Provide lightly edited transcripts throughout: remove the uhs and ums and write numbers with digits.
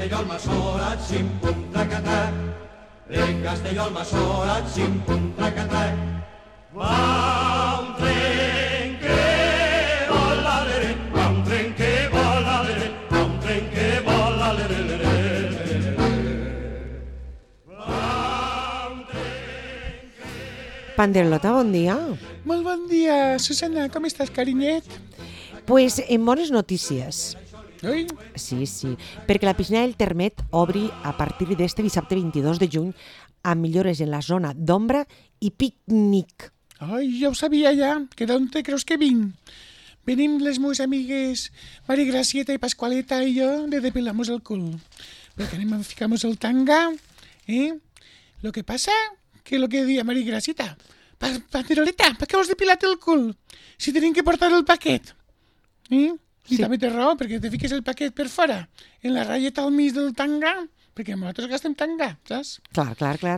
Castelló-Almassora, xim-pum, traca-trac. Rec Castelló-Almassora, xim-pum, traca-trac. Va un tren que vola, lere, va un tren que vola, lere, va un tren que vola, lere, lere, lere. Va un tren que... Panderolota, bon dia. Molt bon dia, Susana, com estàs, carinyet? Pues en bones notícies. Ui, Sí, perquè la piscina del Termet obri a partir d'este dissabte 22 de juny amb millores en la zona d'ombra i pícnic. ai, ja ho sabia ja, que d'on te creus que vinc? Venim les meves amigues Mari Gracieta i Pascualeta i jo de depilar-nos el cul. Perquè anem a ficar-nos el tanga, Lo que pasa, que lo que deia Mari Gracieta, Panderoleta, per què vols depilat el cul? Si tenim que portar el paquet. I Sí. també té raó, perquè te fiques el paquet per fora, en la ratlleta al mig del tanga, perquè nosaltres gastem tanga, saps? Clar.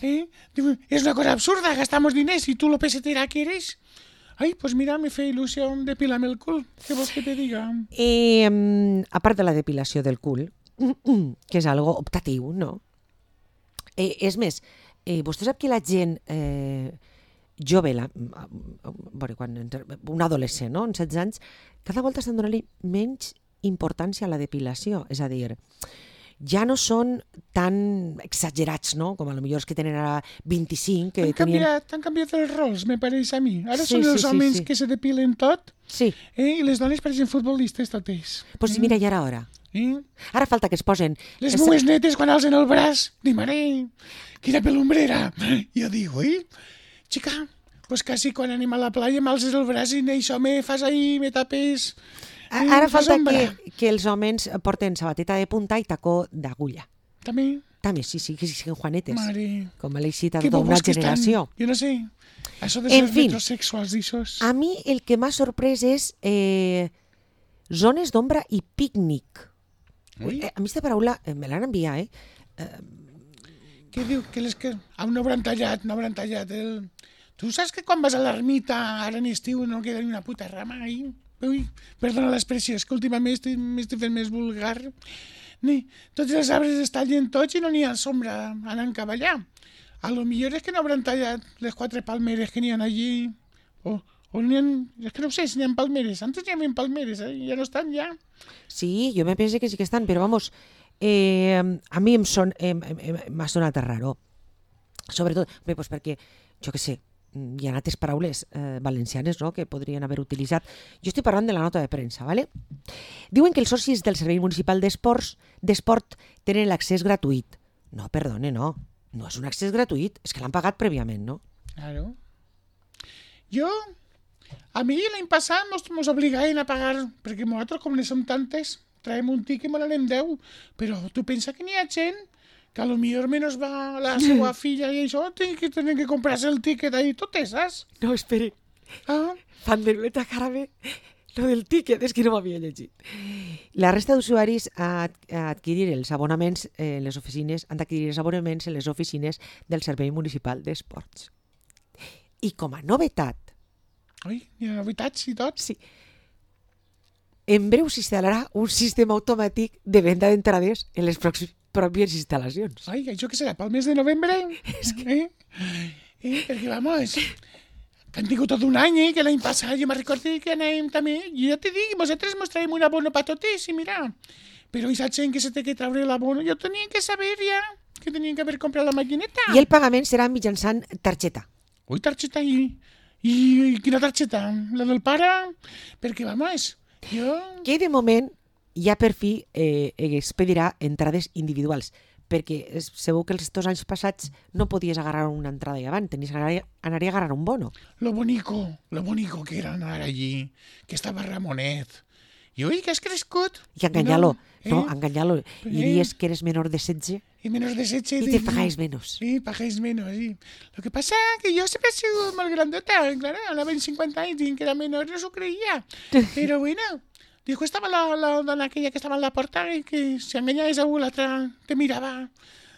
Diu, és una cosa absurda, gastamos diners y tú lo pesetera que eres. Ai, pues mira, me fe il·lusió depilar-me el cul. Què vols que te diga? A part de la depilació del cul, que és algo optatiu, no? És més, vostè sap que la gent jove, un adolescent, no? En 16 anys, cada volta estan donant-li menys importància a la depilació. És a dir, ja no són tan exagerats, no? Com a lo millor els que tenen ara 25, que Han canviat els rols, me pareix a mi. Ara Sí, són els sí, homes sí. que se depilen tot, Sí, i les dones pareixen futbolistes totes. doncs mira, ja era hora. Ara falta que es posen... Les meves netes, quan alcen el braç, dic, mare, quina pelumbrera. Jo dic, ui, xica, pues quasi quan anem a la playa m'alces el braç i això me fas ahí, me tapes... Ara fas falta ombra. que els homes porten sabateta de punta i tacó d'agulla. També, També, sí, que siguin juanetes. mare... Com a l'eixit de Que tota una bobos que estan. generació. Jo no sé. Això de En ser fin. metrosexuals, d'aixòs. A mi el que m'ha sorprès és zones d'ombra i pícnic. Ui. A mi aquesta paraula me l'han enviat, Què diu? Que no hauran tallat, el... Tu saps que quan vas a l'ermita, ara en estiu, no queda ni una puta rama ahí? Ui, perdona l'expressió, és que últimament m'estic fent més vulgar. Tots els arbres es tallen tots i no n'hi ha sombra anant cap allà. A lo millor és que no hauran tallat les 4 palmeres que n'hi ha allí. O n'hi ha... És que no sé si n'hi ha palmeres. Antes n'hi havia palmeres, ja no estan ja. Sí, jo me penso que sí que estan, però vamos, a mi m'ha sonat raro. Sobretot, bé, pues perquè, jo què sé, hi ha altres paraules valencianes, no?, que podrien haver utilitzat. Jo estic parlant de la nota de premsa, ¿vale? Diuen que els socis del Servei Municipal d'Esport tenen l'accés gratuït. No, perdone, no és un accés gratuït, és que l'han pagat prèviament, no? Claro. A mi l'any passat mos obligaven a pagar, perquè nosaltres, com ne som tantes, traiem un tiquet i me n'anem 10, però tu pensa que n'hi ha gent que a lo millor menos va la seva filla i això, tenen que comprar-se el tiquet ahí totes, saps? No, esperi, Ah, Panderoleta, cara bé, lo del tíquet, és que no m'havia llegit. La resta d'usuaris han d'adquirir els abonaments en les oficines del Servei Municipal d'Esports. I com a novetat, ui, hi ha novetats i tot. sí, en breu s'instal·larà un sistema automàtic de venda d'entrades en les pròpies instal·lacions. Ai, això que serà, pel mes de novembre? Perquè, vamos, que han tingut tot un any, que l'any passat jo me recordo que anàvem també, jo ja te dic, vosaltres mos traiem un abono pa totes, i mira, però aquesta gent que se té que treure l'abono, jo tenia que saber ja que tenien que haver comprat la maquineta. I el pagament serà mitjançant targeta. Ui, targeta i quina targeta? La del pare? Perquè, vamos, jo... Que de moment ja per fi expedirà entrades individuals, perquè segur que els 2 anys passats no podies agarrar una entrada i avant, tenies que anar a agarrar un bono. Lo bonito que era anar allí, que estava Ramonet. I ui, que has crescut. I enganyar-lo, No, enganyar-lo. I diries que eres menor de 16 Y menos de 16. i te pagáis menos. Sí, pagáis menos, sí. Lo que pasa es que yo siempre he sido más grandota, claro, a la 50 años, y que era menor, no se creía. Pero bueno, dijo, estaba la dona aquella que estaba en la puerta y que si engañabas a una, la otra te miraba.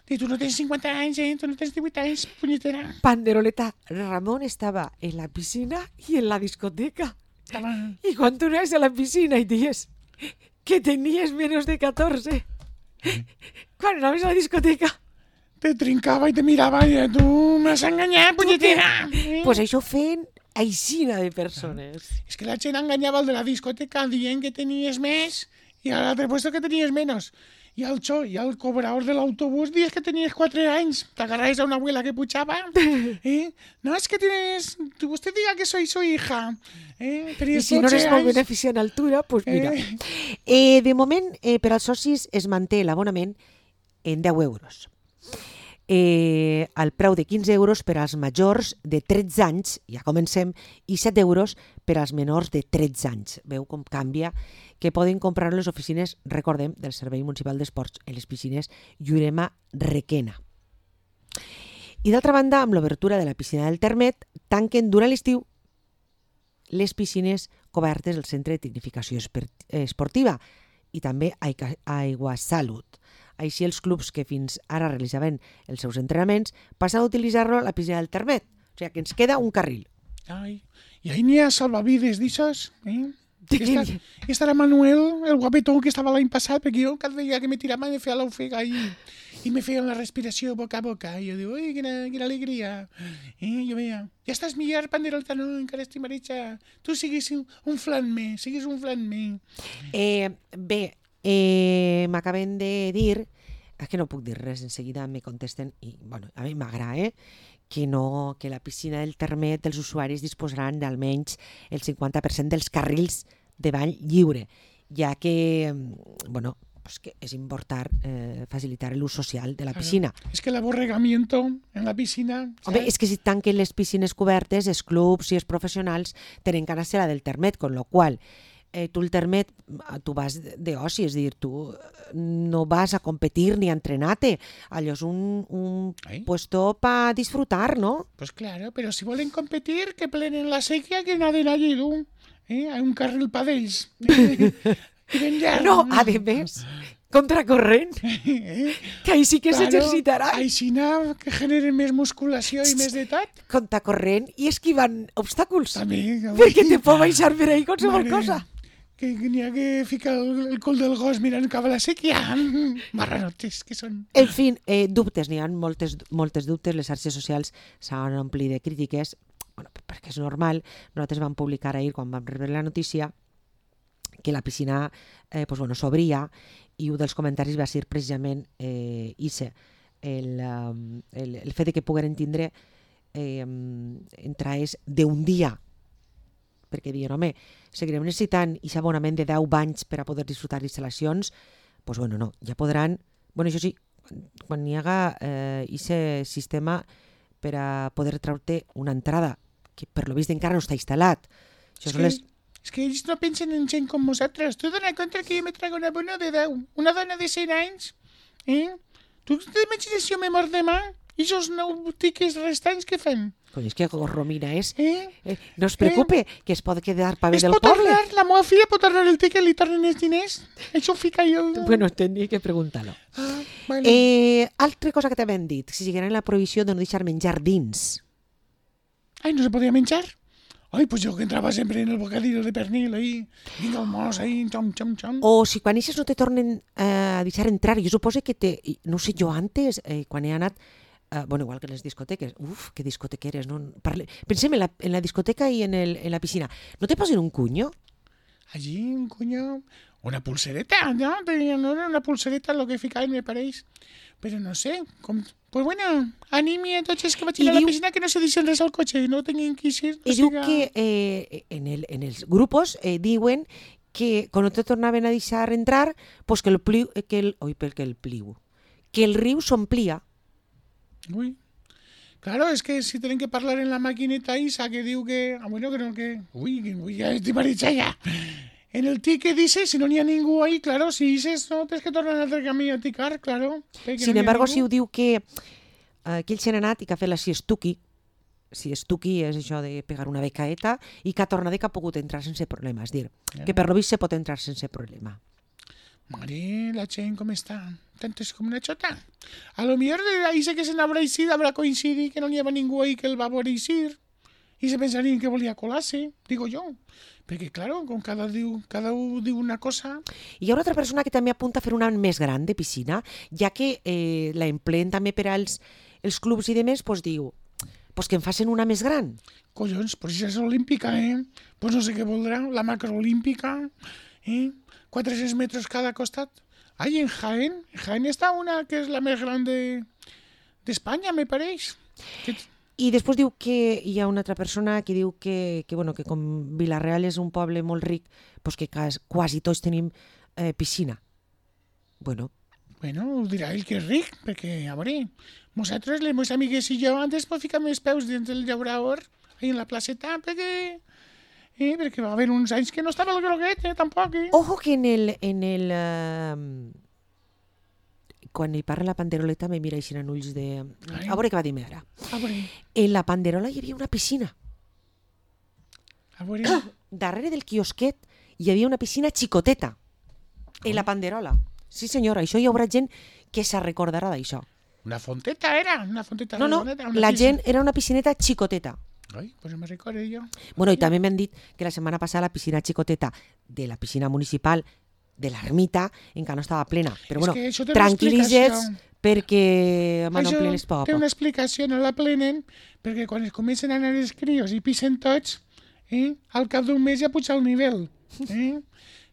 Y tú no tienes 50 años, tú no tienes 50 años, puñetera. Panderoleta, Ramón estaba en la piscina y en la discoteca. Estaba... Y cuando tú eras a la piscina y dices que tenías menos de 14, Quan anaves a la discoteca? Te trincava i te mirava i tu m'has enganyat, punyetera. Pues això feien aixina de persones. És que la gent enganyava el de la discoteca dient que tenies més i a l'altre puesto que tenies menys. I el cobrador de l'autobús dies que tenies 4 anys. T'agarraves a una abuela que puchava. No, es que tienes... Usted diga que soy su hija. I si no eres molt beneficient a altura, doncs mira. De moment, per als socis es manté l'abonament en 10 euros. Al preu de 15 euros per als majors de 13 anys, ja comencem, i 7 euros per als menors de 13 anys. Veu com canvia, que poden comprar les oficines, recordem, del Servei Municipal d'Esports en les piscines Llurema Requena. I d'altra banda, amb l'obertura de la piscina del Termet, tanquen durant l'estiu les piscines cobertes del Centre de Tecnificació Esportiva i també Aigua Salut. Així, els clubs que fins ara realitzaven els seus entrenaments passen a utilitzar-lo a la piscina del Termet. O sigui, que ens queda un carril. Ai, i ahí n'hi ha salvavides d'aixòs, I estarà Manuel, el guapetó que estava l'any passat, perquè jo cada dia que me tirava me feia l'ofega i me feien la respiració boca a boca. I jo dic, ui, quina alegria. Jo veia, ja estàs millor, Panderolta, no, encara estic maritxa. Tu siguis un flan més, Bé, m'acaben de dir, és que no puc dir res, en seguida me contesten, i bueno, a mi m'agrada, que la piscina del Termet dels usuaris disposaran d'almenys el 50% dels carrils de bany lliure, ja que, bueno, pues que és important facilitar l'ús social de la piscina. És que l'aborregamiento en la piscina... Home, és que si tanquen les piscines cobertes, els clubs i els professionals tenen que anar-se a la del Termet, con lo qual tu el Termet, tu vas d'oci, és a dir, tu no vas a competir ni a entrenar-te. Allò és un puesto para disfrutar, ¿no? Pues claro, pero si volen competir, que plenen la sequía, que naden allí, tú. Hay un carril para ells. No, a més, contracorrent, que ahí sí que s'exercitarà. Així que generen més musculació i més de tot. Contracorrent i esquivant obstacles. També. Perquè te pot baixar per ahí qualsevol cosa. Que n'hi ha que ficar el cul del gos mirant cap a la sèquia. Marranotes que són. En fi, dubtes, n'hi ha moltes dubtes. Les xarxes socials s'han omplit de crítiques, bueno, perquè és normal. Nosaltres vam publicar ahir, quan vam rebre la notícia, que la piscina s'obria, i un dels comentaris va ser precisament el fet que pogueren tindre entrades d'un dia, perquè diuen, home, seguirem necessitant aquest abonament de 10 banys per a poder disfrutar d'instal·lacions, doncs bueno, no, ja podran, bueno, això sí, quan hi haga aquest sistema per a poder treure una entrada, que per lo vist encara no està instal·lat. És que ells no pensen en gent com nosaltres. Tu dona compte que jo me trago una bona de 10, una dona de 100 anys, Tu t'imagines si jo me mort demà? I aquests 9 tiques restants què fem? Coi, és que Romina és... No es preocupe, que es pot quedar pa bé del poble. Es pot tornar, la meva filla pot tornar el tiquet, li tornen els diners. Això ho fica jo... Bueno, tenia que preguntar-lo. Bueno. Altra cosa que t'havien dit, si sigueren la prohibició de no deixar menjar dins. Ai, no se podia menjar? Ai, pues jo que entrava sempre en el bocadillo de pernil, ahí, vinga el mos, ahí, xom, xom, xom. O si quan eixes no te tornen a deixar entrar, jo suposo que no sé, jo antes, quan he anat, bueno, igual que en les discoteques, que discotequeres, no? Pensem en la discoteca i en la piscina. ¿No te posen un cuño? Allí, un cuño, una pulsereta, ¿no? No era una pulsereta lo que ficaven, me pareix. Però no sé, pues bueno, animi a tots els que vaig a la piscina que no se deixen res al cotxe, no tinguin que eixir. I diu que en els grupos diuen que quan no te tornaven a deixar entrar, pues que el riu s'omplia. Uy, claro, es que si tienen que hablar en la maquineta Isa que digo que, bueno, creo que, uy, ya estoy maricha ya. En el ticket dice, si no n'hi ha ningú ahí, claro, si dices, no, tens que tornar a altre camí a ticar, claro. Sin embargo, si ho diu que ells han anat i que ha fet la siestuki és això de pegar una becaeta, i que ha tornat i que ha pogut entrar sense problema, és dir, que per lo vist se pot entrar sense problema. Mare, la gent com està? Tantes com una xota. A lo millor ahí sé que se n'haurà eixit, haurà coincidit que no n'hi havia ningú ahí que el va veure eixir. i se pensarien que volia colar-se, digo jo. Perquè, claro, com cada un diu una cosa... Hi ha una altra persona que també apunta a fer una més gran de piscina, ja que la empleen també per als els clubs i demés, doncs diu, pues que en facin una més gran. Collons, però si és olímpica, Pues no sé què voldrà, la macroolímpica, 400 metres cada costat. Ai, en Jaén està una que és la més gran d'Espanya, me pareix. I després diu que hi ha una altra persona que diu que com Vila-real és un poble molt ric, doncs que quasi tots tenim piscina. Bueno, ho dirà ell que és ric, perquè, a veure, nosaltres, les meves amigues i jo, antes pues, ficam els peus dins del llaurador, ahí en la placeta, perquè va haver uns anys que no estava el groguet, tampoc. Ojo que quan hi parla la panderoleta me mira així en ulls de... A veure què va dir-me ara. En la panderola hi havia una piscina. A veure... Darrere del quiosquet hi havia una piscina xicoteta. En la panderola. Sí, senyora, això hi haurà gent que se recordarà d'això. Una fonteta era? Una fonteta no, redoneta, la gent era una piscineta xicoteta. Ai, pues no me recordo jo. Bueno, i també m'han dit que la setmana passada la piscina xicoteta de la piscina municipal de l'ermita encara no estava plena. Però bueno, tranquil·litzets perquè van omplir les pobles. Té una explicació, no la plenen, perquè quan es comencen a anar els crios i pisen tots, al cap d'un mes ja puja el nivell.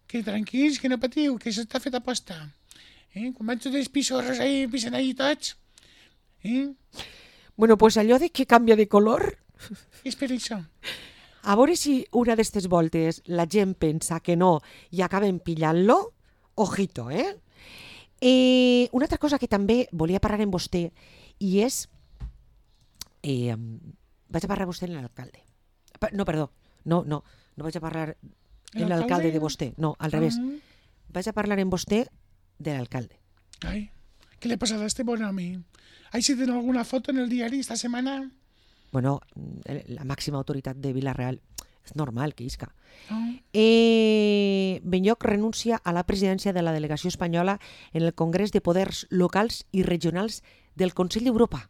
Que tranquils, que no patiu, que això està fet a posta. Quan van tots els pissorros ahí, pisen ahí tots. Bueno, pues allò de que canvia de color... És per això. A veure si una d'aquestes voltes la gent pensa que no i acaben pillant-lo, ojito, una altra cosa que també volia parlar amb vostè i és... vaig a parlar amb vostè amb l'alcalde. No, perdó, no vaig a parlar amb l'alcalde de vostè, no, al revés. Vaig a parlar amb vostè de l'alcalde. Ai, què li ha passat a este bon home? Ai, si tenen alguna foto en el diari esta setmana... Bueno, la màxima autoritat de Vila-real és normal que isca. Benlloc renuncia a la presidència de la delegació espanyola en el Congrés de Poders Locals i Regionals del Consell d'Europa.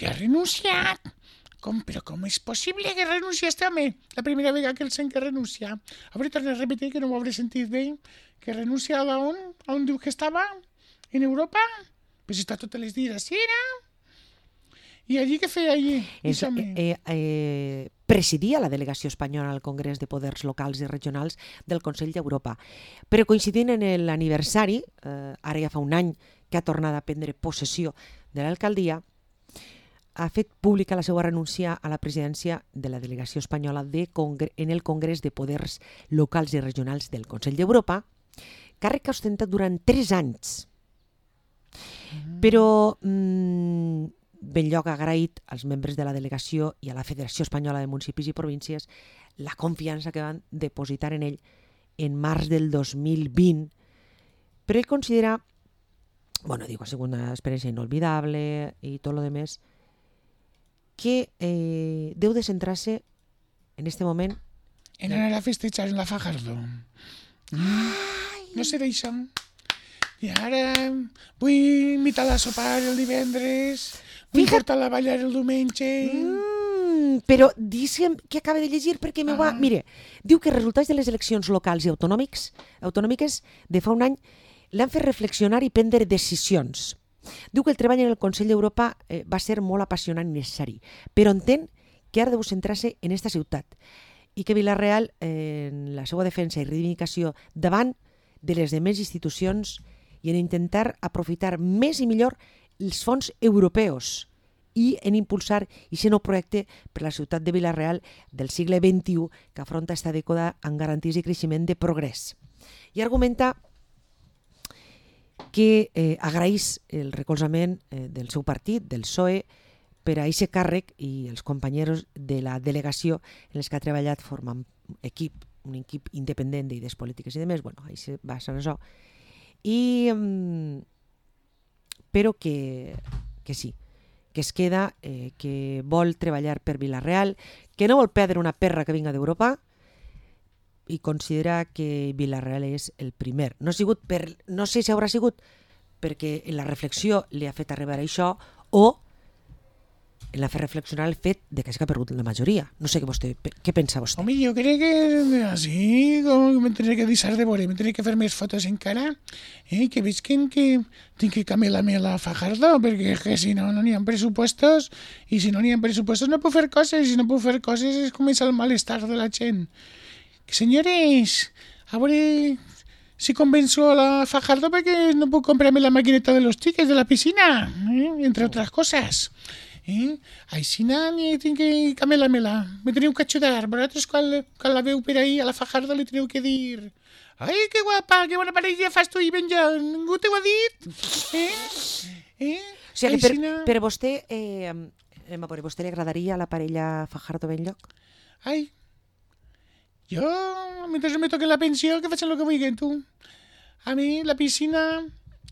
Que ha renunciat? Però com és possible que renuncia este home? La primera vegada que el sent que renuncia. A veure, torna a repetir que no ho hauré sentit bé. Que renuncia a on diu que estava? En Europa? Però si està totes les dies així, I allí què feia allí? Presidia la delegació espanyola al Congrés de Poders Locals i Regionals del Consell d'Europa. Però coincidint en l'aniversari, ara ja fa un any que ha tornat a prendre possessió de l'alcaldia, ha fet pública la seva renúncia a la presidència de la delegació espanyola en el Congrés de Poders Locals i Regionals del Consell d'Europa, càrrec que ha ostentat durant 3 anys. Però... Benlloc ha agraït als membres de la delegació i a la Federació Espanyola de Municipis i Províncies la confiança que van depositar en ell en març del 2020. Però ell considera, diu que ha sigut una experiència inolvidable i tot lo demés, que deu de centrar-se en este moment en anar a festejar en la Fajardo. No serà això. I ara vull invitar-la a sopar el divendres, vull portar-la a ballar el diumenge... Però digue'm que acaba de llegir perquè m'ho va... Mire, diu que els resultats de les eleccions locals i autonòmiques de fa un any l'han fet reflexionar i prendre decisions. Diu que el treball en el Consell d'Europa va ser molt apassionant i necessari, però entén que ara deu centrar-se en esta ciutat i que Vila-real, en la seva defensa i reivindicació davant de les demés institucions i en intentar aprofitar més i millor els fons europeus i en impulsar aquest nou projecte per a la ciutat de Vila-real del segle XXI que afronta esta dècada amb garanties i creixement de progrés. I argumenta que agraeix el recolzament del seu partit, del PSOE, per a aquest càrrec i els companys de la delegació en els que ha treballat formant un equip independent d'idees polítiques i demés. Això va ser això. Però que sí, que es queda, que vol treballar per Vila-real, que no vol perdre una perra que vinga d'Europa i considera que Vila-real és el primer. No sé si haurà sigut perquè en la reflexió li ha fet arribar això o en la fer reflexionar el fet de que hagi perdut la majoria. No sé què pensa vostè. Home, jo crec que així me tindré que deixar de veure, me tindré que fer més fotos encara, que veig que tinc que camelar-me la Fajardo, perquè que si no, no n'hi ha pressupostos, i si no n'hi ha pressupostos no puc fer coses, i si no puc fer coses es comença el malestar de la gent. Senyores, a veure si convenzo a la Fajardo perquè no puc comprarme la maquineta de los tickets de la piscina, entre otras cosas. Així ni tinc que camelar-me-la. Me teniu que ajudar. Vosaltres quan la veu per ahí a la Fajardo li teniu que dir ai, que guapa, que bona parella fas tu i Benja. Ningú t'ho ha dit? O sigui, per vostè, a vostè li agradaria la parella Fajardo-Benlloch? Ai, jo, mentre no me toquen la pensió, que facin el que vulguin, tu. A mi, la piscina,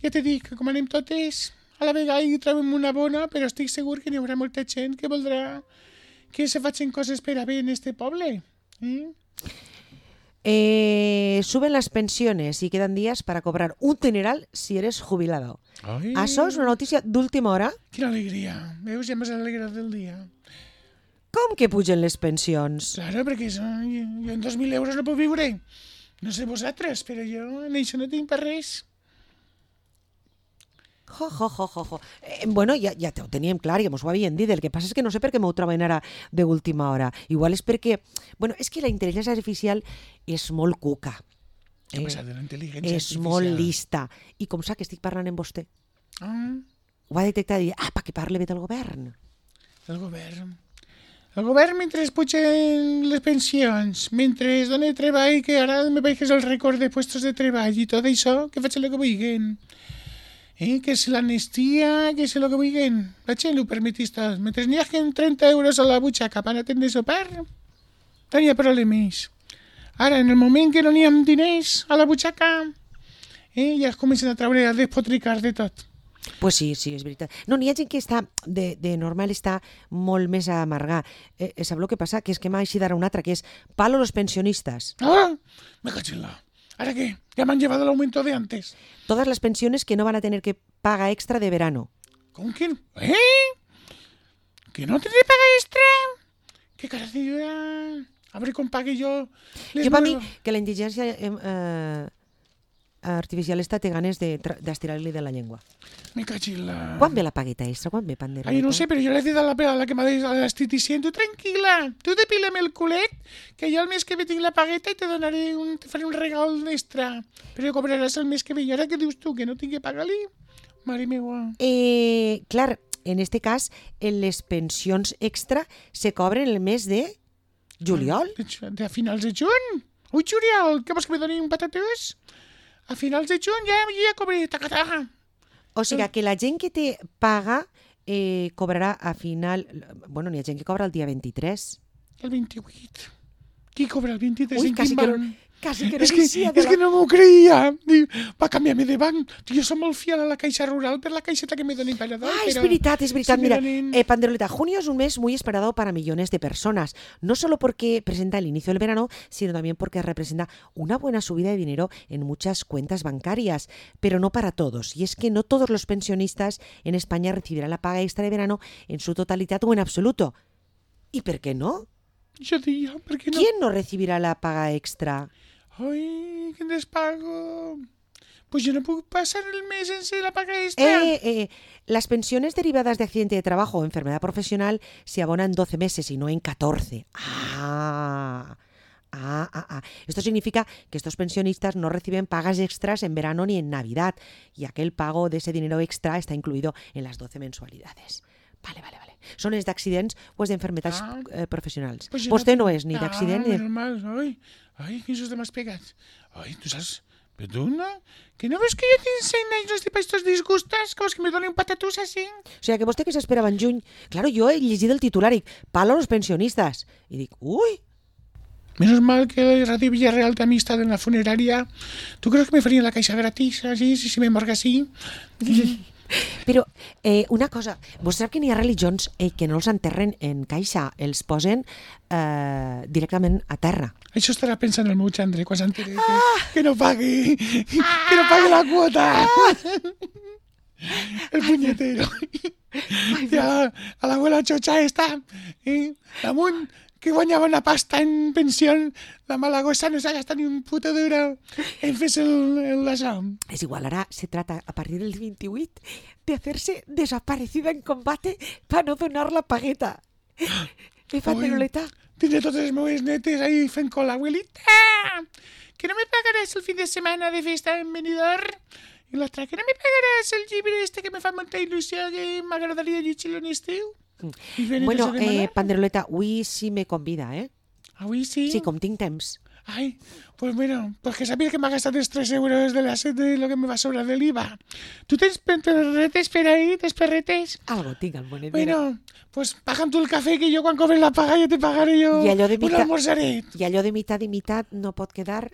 ja te dic, que com anem totes, a la vegada hi trobem una bona, però estic segur que n'hi haurà molta gent que voldrà que se facin coses per a bé en este poble. Suben las pensiones y quedan días para cobrar un dineral si eres jubilado. Ai, Això és una notícia d'última hora. quina alegria. Veus, ja m'has alegrat del dia. Com que pugen les pensions? Claro, perquè jo en 2.000 euros no puc viure. No sé vosaltres, però jo en això no tinc per res. Jo. Bueno, ja ho teníem clar, ja mos ho havien dit. El que passa és que no sé per què m'ho troben ara d'última hora. Igual és perquè... Bueno, és que la intel·ligència artificial és molt cuca. Què ha passat de la intel·ligència És molt lista. I com sap que estic parlant amb vostè? Ho va detectar i dir, perquè parle bé del govern. El govern. El govern, mentre es pugen les pensions, mentre es dona treball, que ara me veig que és el rècord de puestos de treball i tot això, que facin el que vulguin. Que si l'amnistia, que si el que vulguin. La gent ho permetís tot. Mentre n'hi hagi 30 euros a la butxaca per atendre sopar, no hi ha problemes. Ara, en el moment que no n'hi ha diners a la butxaca, ja es comencen a treure, a despotricar de tot. Pues sí, és veritat. No, n'hi ha gent que està, de normal, està molt més amargar. Sabeu el que passa? Que és que m'ha així d'ara una altra, que és palo los pensionistas. Me cacho en la... ¿Ahora qué? Ya me han llevado el aumento de antes. Todas las pensiones que no van a tener que paga extra de verano. ¿Con quién? ¿Que no tendré paga extra? ¿Qué carajo? A ver com pague jo... Jo per mi, que la intel·ligència artificial té ganes d'estirar-li de la llengua. Me cachi la... Quan ve la pagueta extra? Quan ve, Pandereta? Ai, no sé, però jo l'he dit a la que m'ha dit a l'esteticient, tu tranquil·la, tu depila'm el culet, que jo el mes que ve tinc la pagueta i te faré un regal extra. Però cobraràs el mes que ve. I ara què dius tu, que no tinc que pagar-li? Mare meua. Clar, en este cas, les pensions extra se cobren el mes de juliol. A finals de juny? Ui, juliol, què vols que me doni un patatús? A finals de juny ja cobré, taca. O sigui que la gent que té paga cobrarà a final... Bueno, n'hi ha gent que cobra el dia 23. El 28. Qui cobra el 23? Ui, quasi que no és que no m'ho creia. Va canviar-me de banc. Jo som molt fiel a la Caixa Rural per la caixeta que me donen para dar. Es verdad. Mira, Panderoleta, junio es un mes muy esperado para millones de personas. No solo porque presenta el inicio del verano, sino también porque representa una buena subida de dinero en muchas cuentas bancarias. Pero no para todos. Y es que no todos los pensionistas en España recibirán la paga extra de verano en su totalidad o en absoluto. ¿Y por qué no? Yo digo, ¿por qué no? ¿Quién no recibirá la paga extra? Ai, quin despago. Pues yo no puedo pasar el mes sense la paga extra. Las pensiones derivadas de accidente de trabajo o enfermedad profesional se abonan 12 meses y no en 14. Esto significa que estos pensionistas no reciben pagas extras en verano ni en Navidad y aquel pago de ese dinero extra está incluido en las 12 mensualidades. Vale. Són els d'accidents o els d'enfermetats professionals. Pues Vostè no és ni d'accident ni... normal. Ai, quin susto m'has pegat. Ai, tu saps... Però tu no? Que no veus que jo tinc 100 anys per estos disgustos? Que vols que me doni un patatús així? O sigui, que vostè que s'esperava en juny... Claro, jo he llegit el titular i palo a los pensionistas. I dic, ui... Menos mal que Radio Villarreal té amistat en la funerària. ¿Tú crees que me farían la caixa gratis, así, si me morga así? Però una cosa, vostè sap que n'hi ha religions que no els enterren en caixa, els posen directament a terra. Això estarà pensant el meu xandre quan s'entere que no pagui la quota. El punyetero. I a l'abuela Xocha està, damunt, que guanyava una pasta en pensión, la malagosa no s'ha gastat ni un puto duro en fer-se l'assò. Es igual, ahora se trata a partir del 28 de hacerse desaparecida en combate para no donar la pagueta. Panderoleta? Tindré totes les meves netes ahí fent cola. Abuelita, que no me pagaràs el fin de setmana de festa en Benidorm? I l'altra, que no me pagaràs el llibre que me fa molta il·lusió, que m'agradaria llegir-lo en estiu? Bueno, Panderoleta, avui sí me convida, eh? Avui sí? Sí, com tinc temps. Ai, pues bueno, pues que sabia que m'ha gastat els 3 euros de lo que me va sobrar de l'IVA. Tu tens perretes per ahí, tens perretes? Algo tinc al monedero. Bueno, pues paga'm tu el cafè, que jo quan cobres la paga ja te pagaré jo un almorzaret. I allò de mitad i mitad no pot quedar...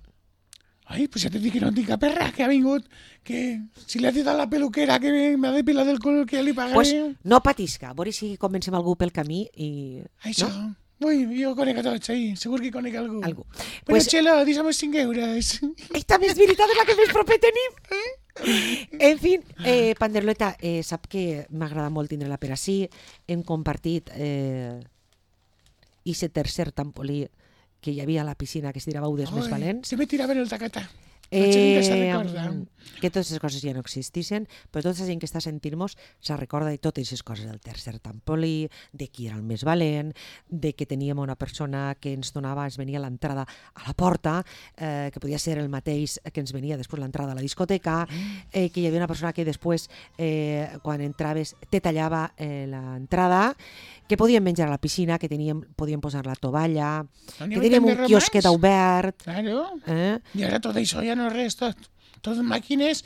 Ai, pues ja t'he dit que no tinc cap perra, que ha vingut, que si li ha dit a la peluquera que m'ha depilat el cul, que ja li pagaré. Pues no patisca, a veure si comencem algú pel camí i... Això, no? Ui, jo conec a tots, ahí, segur que conec algú. Algú. Bueno, Pues... Txelo, deixa'm 5 euros. Esta més veritat és la que més proper tenim. En fi, Panderoleta, sap que m'agrada molt tindre-la per ací. Hem compartit ese tercer trampolí que hi havia a la piscina, que es tirava dels més valents. Se me tiraven el tacatà. Que totes les coses ja no existissin, però tota la gent que està sentint-nos se recorda de totes les coses del tercer trampolí, de qui era el més valent, de que teníem una persona que ens donava, ens venia l'entrada a la porta, que podia ser el mateix que ens venia després l'entrada a la discoteca, que hi havia una persona que després, quan entraves, te tallava l'entrada, que podíem menjar a la piscina, que podíem posar la tovalla, que teníem un quiosquet obert. Claro. I ara tot això ja no és res, tot màquines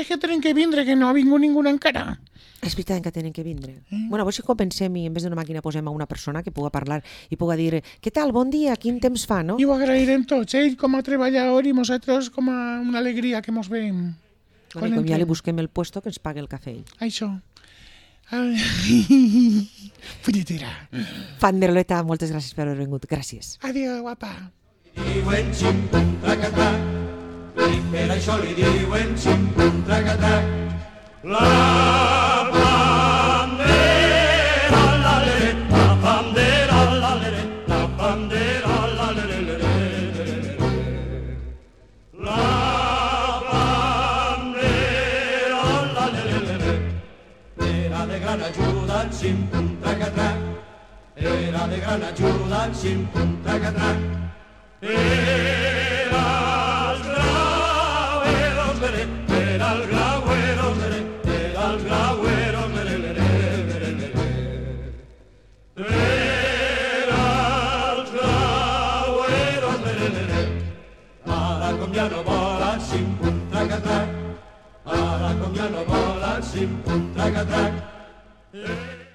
que tenen que vindre, que no ha vingut ningú encara. És veritat que tenen que vindre. Bueno, a veure si compensem i en vez d'una màquina posem a una persona que puga parlar i puga dir què tal, bon dia, quin temps fa, no? I ho agrairem tots, ell com a treballador i nosaltres com a una alegria que mos veiem. Bueno, com ja li busquem el puesto que ens pague el cafè. Això. Punyetera. Panderoleta, moltes gràcies per haver vingut. Gràcies. Adéu, guapa. Diuen xim-pum, trac-atac, i per això li diuen xim-pum, trac-atac. La bandera, la-lere, la bandera, la-lere, la bandera, la-lere, la bandera, la-lere, era de gran ajuda el xim-pum, trac-atac, era de gran ajuda el xim-pum, trac-atac. Era el grauero, era el grauero, era el grauero, era el grauero, ara com ja no vola el xim-pum, trac-atac, ara com ja no vola el xim-pum, trac-atac.